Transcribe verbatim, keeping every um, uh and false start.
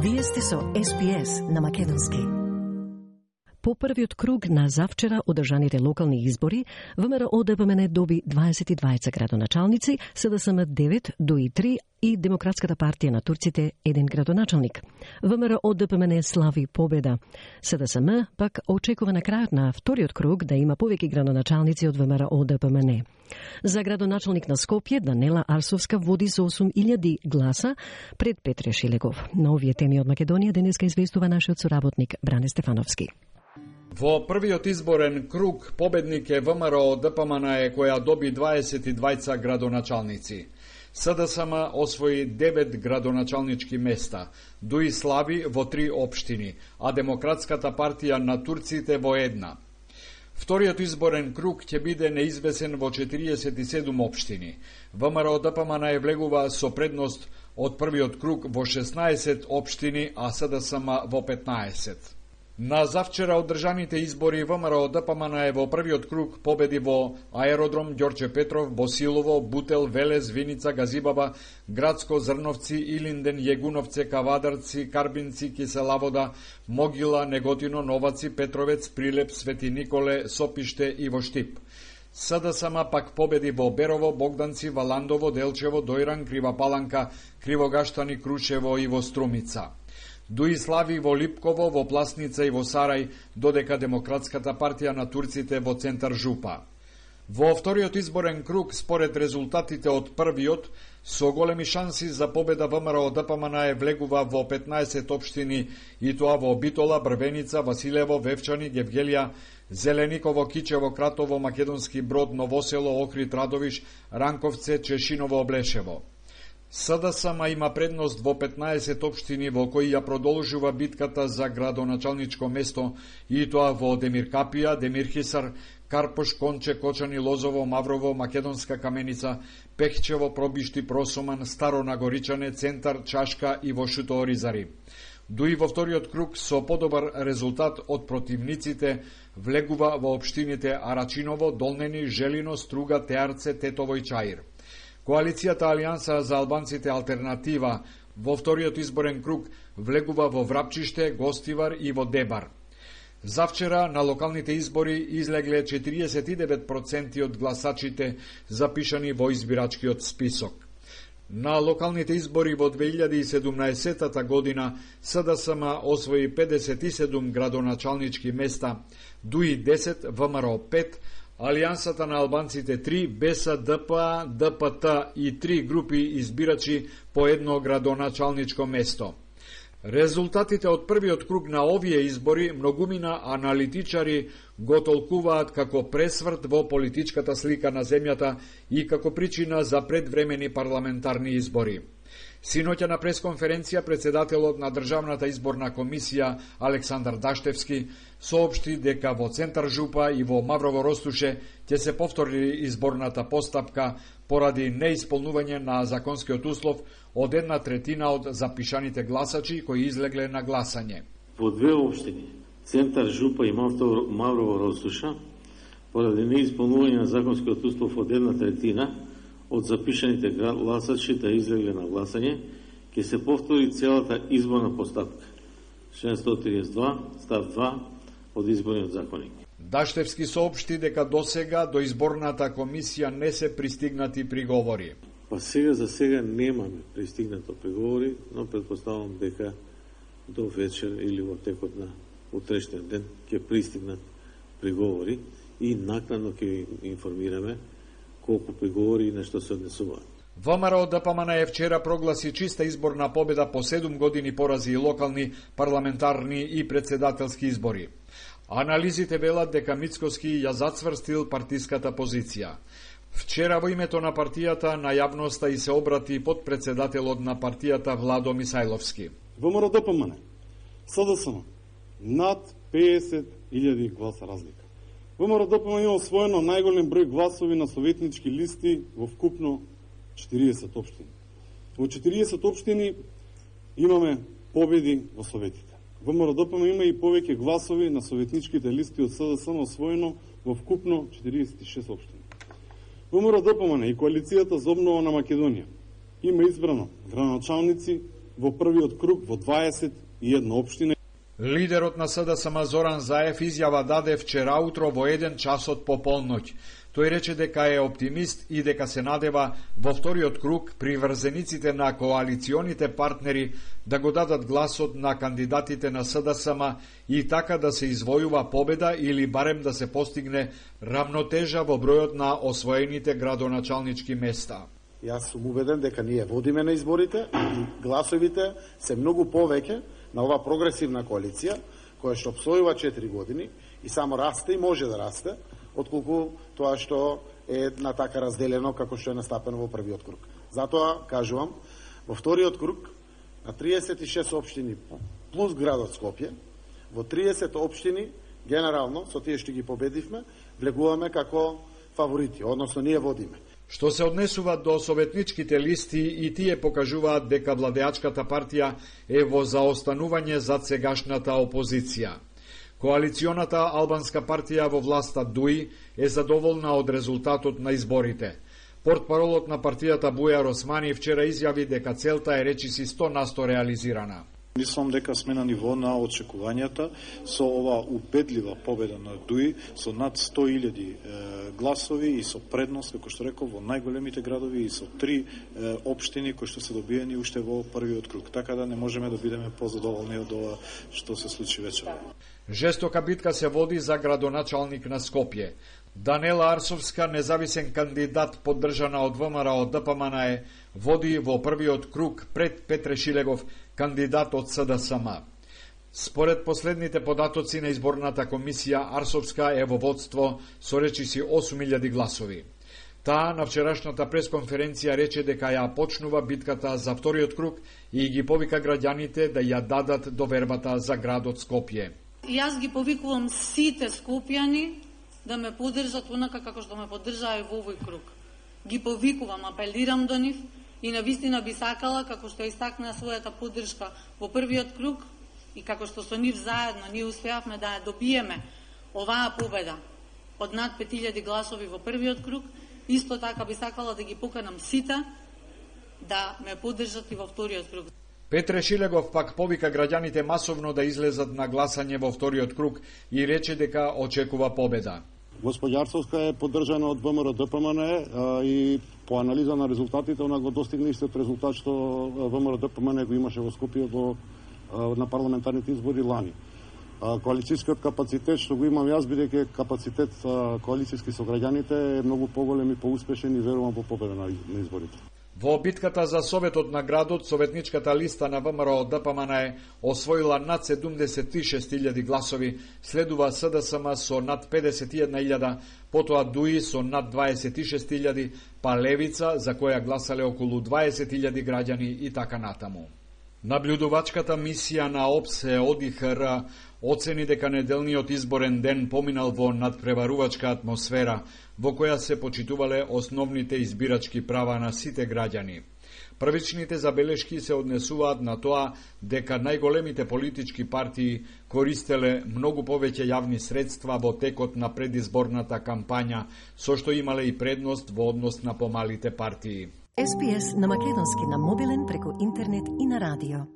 Вие сте со Ес Би Ес на македонски. По првиот круг на завчера одржаните локални избори, ВМРО Д П М Н доби дваесет и дваица градоначалници, С Д С М девет, Д У И три и Демократската партија на турците еден градоначалник. ВМРО Д П М Н слави победа. С Д С М пак очекува на крајот на вториот круг да има повеќе градоначалници од ВМРО Д П М Н. За градоначалник на Скопје Данела Арсовска води со осум илјади гласа пред Петре Шилегов. На овие теми од Македонија денеска известува нашиот соработник Бране Стефановски. Во првиот изборен круг победник е ВМРО Д П М Н Е, која доби дваесет и дваица градоначалници. С Д С М освои девет градоначалнички места, Д У И слави во три општини, а Демократската партија на турците во една. Вториот изборен круг ќе биде неизвесен во четириесет и седум општини. ВМРО Д П М Н Е влегува со предност од првиот круг во шеснаесет општини, а С Д С М во петнаесет. На завчера одржаните избори ВМРО Д П М Н Е во првиот круг победи во Аеродром Ѓорче Петров, Босилово, Бутел, Велес, Виница, Газибаба, Градско, Зрновци, Илинден, Јегуновце, Кавадарци, Карбинци, Киселавода, Могила, Неготино, Новаци, Петровец, Прилеп, Свети Николе, Сопиште и во Штип. С Д С М пак победи во Берово, Богданци, Валандово, Делчево, Дојран, Крива Паланка, Кривогаштани, Крушево и во Струмица. Д У И слави во Липково, во Пласница и во Сарај, додека Демократската партија на турците во центар Жупа. Во вториот изборен круг, според резултатите од првиот, со големи шанси за победа ВМРО Д П М Н Е влегува во петнаесет општини, и тоа во Битола, Брвеница, Василево, Вевчани, Гевгелија, Зелениково, Кичево, Кратово, Македонски Брод, Новосело, Охрид, Радовиш, Ранковце, Чешиново, Облешево. С Д С М има предност во петнаесет општини во кои ја продолжува битката за градоначалничко место, и тоа во Демир Капија, Демир Хисар, Карпош, Конче, Кочани, Лозово, Маврово, Македонска Каменица, Пехчево, Пробишти, Просоман, Старо Нагоричане, Центар, Чашка и во Шуто Оризари. Д У И во вториот круг со подобар резултат од противниците влегува во општините Арачиново, Долнени, Желино, Струга, Теарце, Тетово и Чаир. Коалицијата Алијанса за албанците Алтернатива во вториот изборен круг влегува во Врапчиште, Гостивар и во Дебар. Завчера на локалните избори излегле четириесет и девет проценти од гласачите запишани во избирачкиот список. На локалните избори во две илјади и седумнаесетата година С Д С М освои педесет и седум градоначалнички места, Д У И десет, ВМРО пет, Алијансата на албанците три, Б С Д П А, Д П Т и три групи избирачи по едно градоначалничко место. Резултатите од првиот круг на овие избори многумина аналитичари го толкуваат како пресврт во политичката слика на земјата и како причина за предвремени парламентарни избори. Синоќа на пресконференција председателот на Државната изборна комисија Александар Даштевски соопшти дека во центар Жупа и во Маврово Ростуше ќе се повтори изборната постапка поради неисполнување на законскиот услов од една третина од запишаните гласачи кои излегле на гласање. Во две општини, центар Жупа и Маврово Ростуша, поради неисполнување на законскиот услов од една третина од запишаните гласачи да излегле на гласање, ќе се повтори целата изборна постапка. член сто триесет и два, став два од изборниот законник. Даштевски соопшти дека досега до изборната комисија не се пристигнати приговори. Па сега за сега немаме пристигнато приговори, но предпоставувам дека до вечер или во текот на утрешниот ден ќе пристигнат приговори и накнадно ќе информираме колку приговори и на што се однесуваат. ВМРО Д П М Н Е вчера прогласи чиста изборна победа по седум години порази и локални, парламентарни и председателски избори. Анализите велат дека Мицкоски ја зацврстил партиската позиција. Вчера во името на партијата на јавноста и се обрати подпредседателот на партијата Владо Мисајловски. ВМРО Д П М Н Е, С Д С М, над педесет илјади гласа разлика. ВМРО Д П М Н Е има освоено најголем број гласови на советнички листи во вкупно четириесет општини. Во четириесет општини имаме победи во советите. ВМРО Д П М има и повеќе гласови на советничките листи од С Д С М освоено во вкупно четириесет и шест општини. ВМРО Д П М Н и Коалицијата за обнова на Македонија има избрано градоначалници во првиот круг во дваесет и една општини. Лидерот на СДСМ Зоран Заев изјава даде вчера утро во еден часот по полноќ. Тој рече дека е оптимист и дека се надева во вториот круг приврзениците на коалиционите партнери да го дадат гласот на кандидатите на СДСМ и така да се извојува победа или барем да се постигне рамнотежа во бројот на освоените градоначалнички места. Јас сум убеден дека ние водиме на изборите и гласовите се многу повеќе на ова прогресивна коалиција, која што обстојува четири години и само расте и може да расте, отколку тоа што е на така разделено како што е настапено во првиот круг. Затоа, кажувам, во вториот круг, на триесет и шест општини плюс градот Скопје, во триесет општини, генерално, со тие што ги победивме, влегуваме како фаворити, односно ние водиме. Што се однесува до советничките листи, и тие покажуваат дека владеачката партија е во заостанување зад сегашната опозиција. Коалиционата албанска партија во власта ДУИ е задоволна од резултатот на изборите. Портпаролот на партијата Бујар Османи вчера изјави дека целта е речиси сто на сто реализирана. Мислам дека сме на ниво на очекувањата со ова убедлива победа на ДУИ со над сто илјади гласови и со предност, како што реков, во најголемите градови и со три е, општини кои што се добиени уште во првиот круг. Така да не можеме да бидеме позадоволни од ова што се случи вечера. Жестока битка се води за градоначалник на Скопје. Данела Арсовска, независен кандидат поддржана од ВМРО ДПМН, води во првиот круг пред Петре Шилегов, кандидат од СДСМ. Според последните податоци на изборната комисија, Арсовска е во водство со речиси осум илјади гласови. Таа на вчерашната пресконференција рече дека ја почнува битката за вториот круг и ги повика граѓаните да ја дадат довербата за градот Скопје. Јас ги повикувам сите скопјани да ме поддржат онака како што ме поддржаа и во овој круг. Ги повикувам, апелирам до нив и навистина би сакала, како што истакна својата поддршка во првиот круг и како што со нив заедно ние успеавме да ја добиеме оваа победа од над пет илјади гласови во првиот круг, исто така би сакала да ги поканам сите да ме поддржат и во вториот круг. Петре Шилегов пак повика граѓаните масовно да излезат на гласање во вториот круг и рече дека очекува победа. Господја Арсовска е поддржана од ВМРО ДПМН и по анализа на резултатите она го достигна истиот резултат што ВМРО ДПМН го имаше во Скопје во на парламентарните избори лани. Коалицијскиот капацитет што го имам јас, бидејќи капацитет коалицијски со граѓаните, е многу поголем и поуспешен и верувам во победа на изборите. Во битката за Советот на градот, советничката листа на ВМРО ДПМН освоила над седумдесет и шест илјади гласови, следува СДСМ со над педесет и една илјада, потоа ДУИ со над дваесет и шест илјади, па Левица, за која гласале околу дваесет илјади граѓани и така натаму. Наблюдувачката мисија на ОПСЕ ОДИХР оцени дека неделниот изборен ден поминал во надпреварувачка атмосфера, во која се почитувале основните избирачки права на сите граѓани. Првичните забелешки се однесуваат на тоа дека најголемите политички партии користеле многу повеќе јавни средства во текот на предизборната кампања, со што имале и предност во однос на помалите партии. Ес Би Ес на македонски на мобилен преку интернет и на радио.